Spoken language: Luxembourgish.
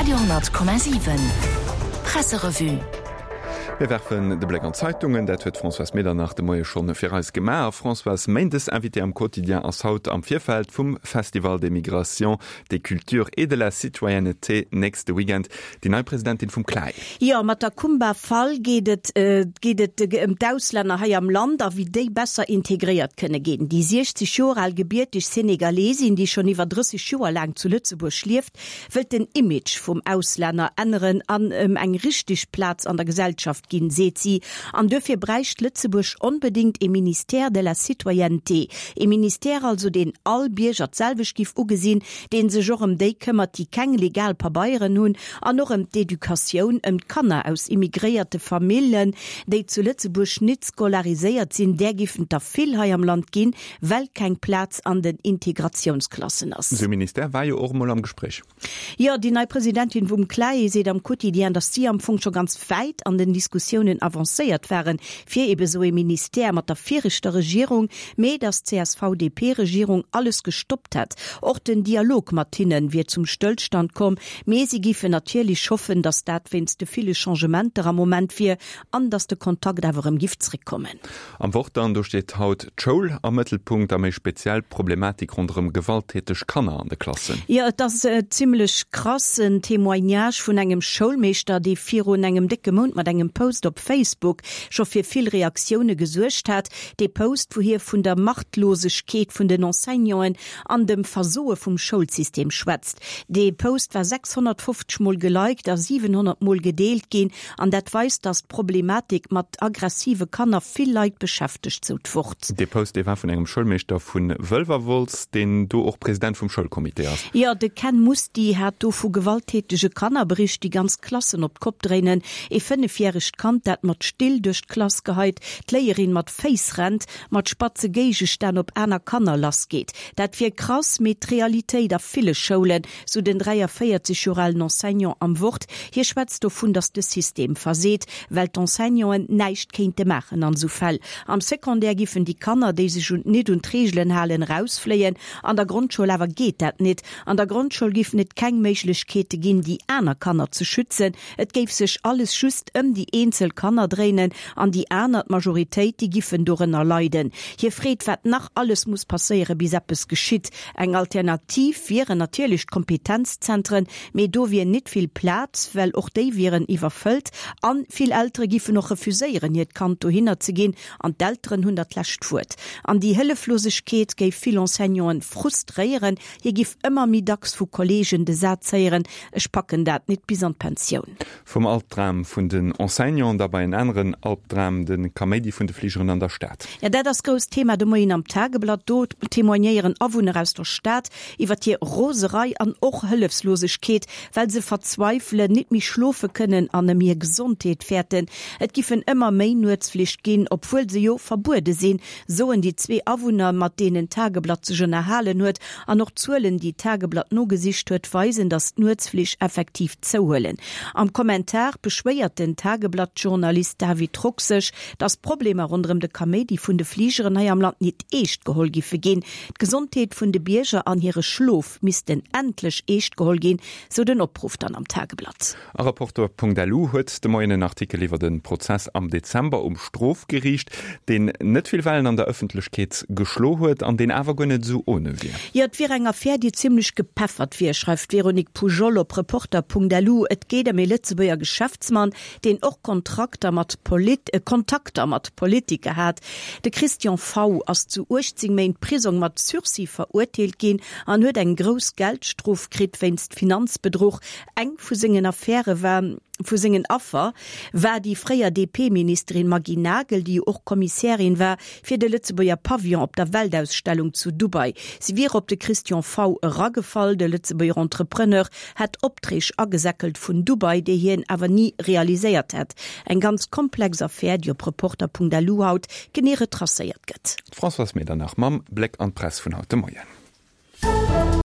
Radio 10,7 Presserevue. Mir werfen de Bléck an d'Zeitungen. Dat huet d'Françoise Medernach de Moie schonn fir eis gemaach. Françoise, Méindes Invitée am Quotidien ass haut am Virfeld vum Festival des Migrations, des Cultures et de la Citoyenneté nächste Weekend déi nei Presidentin vum CLAE. Jo, mat der Kumba Fall geet et geet et ëm d'Auslänner hei am Land a wéi déi besser integréiert kënne ginn. Déi 60 Joer al gebierteg Senegalesin, déi schonn iwwer 30 Joer laang zu Lëtzebuerg lieft, wëllt den Image vum Auslänner änneren an em eng richteg Plaz an der Gesellschaft ginn, seet si. An duerfir bräicht Lëtzebuerg onbedéngt ee Ministère de la Citoyenneté. Ee Ministère also, deen all Bierger d'selwecht giff ugesinn, deen sech och ëm déi këmmert, déi keng legal Pabeieren hunn, an och ëm d'Educatioun, ëm d'Kanner aus immigréierte Famillen, déi zu Lëtzebuerg nit scolariséiert sinn, där giffen der vill hei am Land ginn, well keng Plaz an den Integratiounsklassen ass. Esou e Ministère war jo och emol am Gespréich. Jo, déi nei Presidentin vum CLAE seet am Quotidien, datt si am Fong scho ganz wäit an den Diskussiounen avancéiert waren, fir ebe sou ee Ministère mat der viregter Regierung, mee datt d'CSV-DP-Regierung alles gestoppt hätt. Och den Dialog mat hinne wier zum Stëllstand komm, mee si géifen natierlech hoffen, datt dat wéinst de ville Changementer am Moment wier an datt de Kontakt awer erëm giff zréckkommen. Am Wort dann, do steet haut d'Schoul am Mëttelpunkt a méi speziell d'Problematik ronderëm gewalttäteg Kanner an de Klassen. Jo, et ass zimmlech krass, en Témoignage vun engem Schoulmeeschter, dee virun engem décke Mount mat engem Post op Facebook scho fir vill Reaktioune gesuergt hat. Dee Post, wou hie vun der Machtlosegkeet vun den Enseignanten an dem Versoe vum Schoulsystem schwätzt. Dee Post war 650 Mol geliked a 700 Mol gedeelt ginn. An dat weist, datt d'Problematik mat aggressive Kanner vill Leit beschäftegt, sou d'Wort. Dee Post, dee war vun engem Schoulmeeschter vu Wëlwerwolz, deen do och President vum Schoulcomité ass. Jo, de Ken Musty hat do vu gewalttätege Kanner bericht, déi ganz Klassen op d'Kopp dréinen. Ee fënnefjäregt Kand, dat mat Still duerch d'Klass geheit, d'Léierin mat Féiss rennt, mat spatze Géigestänn op aner Kanner lassgeet. Dat wier krass, mee d'Realitéit a ville Schoulen, sou den 43 Joer alen Enseignant am Wort. Hie schwätzt dovun, datt de System verseet, well d'Enseignanten näischt kéinte maachen an esou Fäll. Am Secondaire giffen déi Kanner, déi sech un nit un d'Reegelen halen, erausfléien. An der Grondschoul awer geet dat nit. An der Grondschoul giffen et keng Méiglechkeete ginn, déi aner Kanner ze schützen. Et géif sech alles just ëm déi eenzel Kanner dréinen an déi aner, d'Majoritéit, déi giffen dorënner leiden. Hie freet, wat nach alles muss passéieren, bis eppes geschitt. Eng Alternativ wieren natierlech d'Kompetenzzentren, mee do wier nit vill Plaz, well och déi wieren iwwerfëllt. A vill Eltere giffen och refuséieren, hiert Kand dohinner ze ginn. An d'Elteren hunn dat lescht Wuert. An déi Hëlleflosegkeet géif vill Enseignanten frustréieren. Hie giff ëmmer méi dacks vu Kolleegen de Saz héieren, Ech packen dat nit bis an d'Pensioun. Vum Albdram vun den Enseignanten da bei en aneren Albdram, de Kaméidi vun de Fligeren an der Stad. Ja, dat ass grousst Thema de Moien am Tageblatt. Do témoignéieren Awunner aus der Stad iwwer hir Roserei an och Hëllefslosegkeet, well se verzweifelen, nit méi schlofe kënnen an ëm hir Gesondheet fäerten. Et giffen ëmmer méi Nuetsflich ginn, obwuel se jo verbuede sinn, soen déi zwee Awunner, mat deenen d'Tageblatt sech ënnerhalen huet. An och d'Zuelen, déi d'Tageblatt nogesicht huet, weisen, datt d'Nuetsflich effektiv zouhuelen. Am Kommentar beschwéiert den Tageblatt-Journalist David Rock sech, datt d'Problemer ronderëm de Kaméidi vun de Fligeren hei am Land nit eescht geholl giffe ginn. D'Gesondheet vun de Bierger an hire Schlof missten endlech eescht geholl ginn, sou den Opruff dann am Tageblatt. A Reporter.lu huet de Moien en Artikel iwwer e Prozess am Dezember um Strofgeriicht, deen net vill Wellen an der Ëffentlechkeet geschlo huet an deen awer guer net esou ohne wier. Jo, et wier eng Affär, déi zimmlech gepeffert wier, schreift d'Véronique Poujol op Reporter.lu. Et geet ëm ee Lëtzebuerger Geschäftsmann, deen och Kontrakter mat Kontakter mat Politiker hat. De Christian V. ass zu 18 Méint Prisong mat Sursis verurteelt ginn an huet eng grouss Geldstrof kritt wéinst Finanzbedruch. Eng vu sengen Affäre war vu sengen Affer war déi fréier DP-Ministerin Maggy Nagel, déi jo och Kommissärin war fir de Lëtzebuerger Pavillon op der Weltausstellung zu Dubai. Si wier op de Christian V. eragefall. De Lëtzebuerger Entrepreneur hätt Opträg agesäckelt vun Dubai, déi hien awer ni realiséiert hätt. Eng ganz komplex Affär, déi op Reporter.lu haut genee retracéiert gëtt. D'Françoise Medernach mam Bléck an d'Press vun haut de Moien.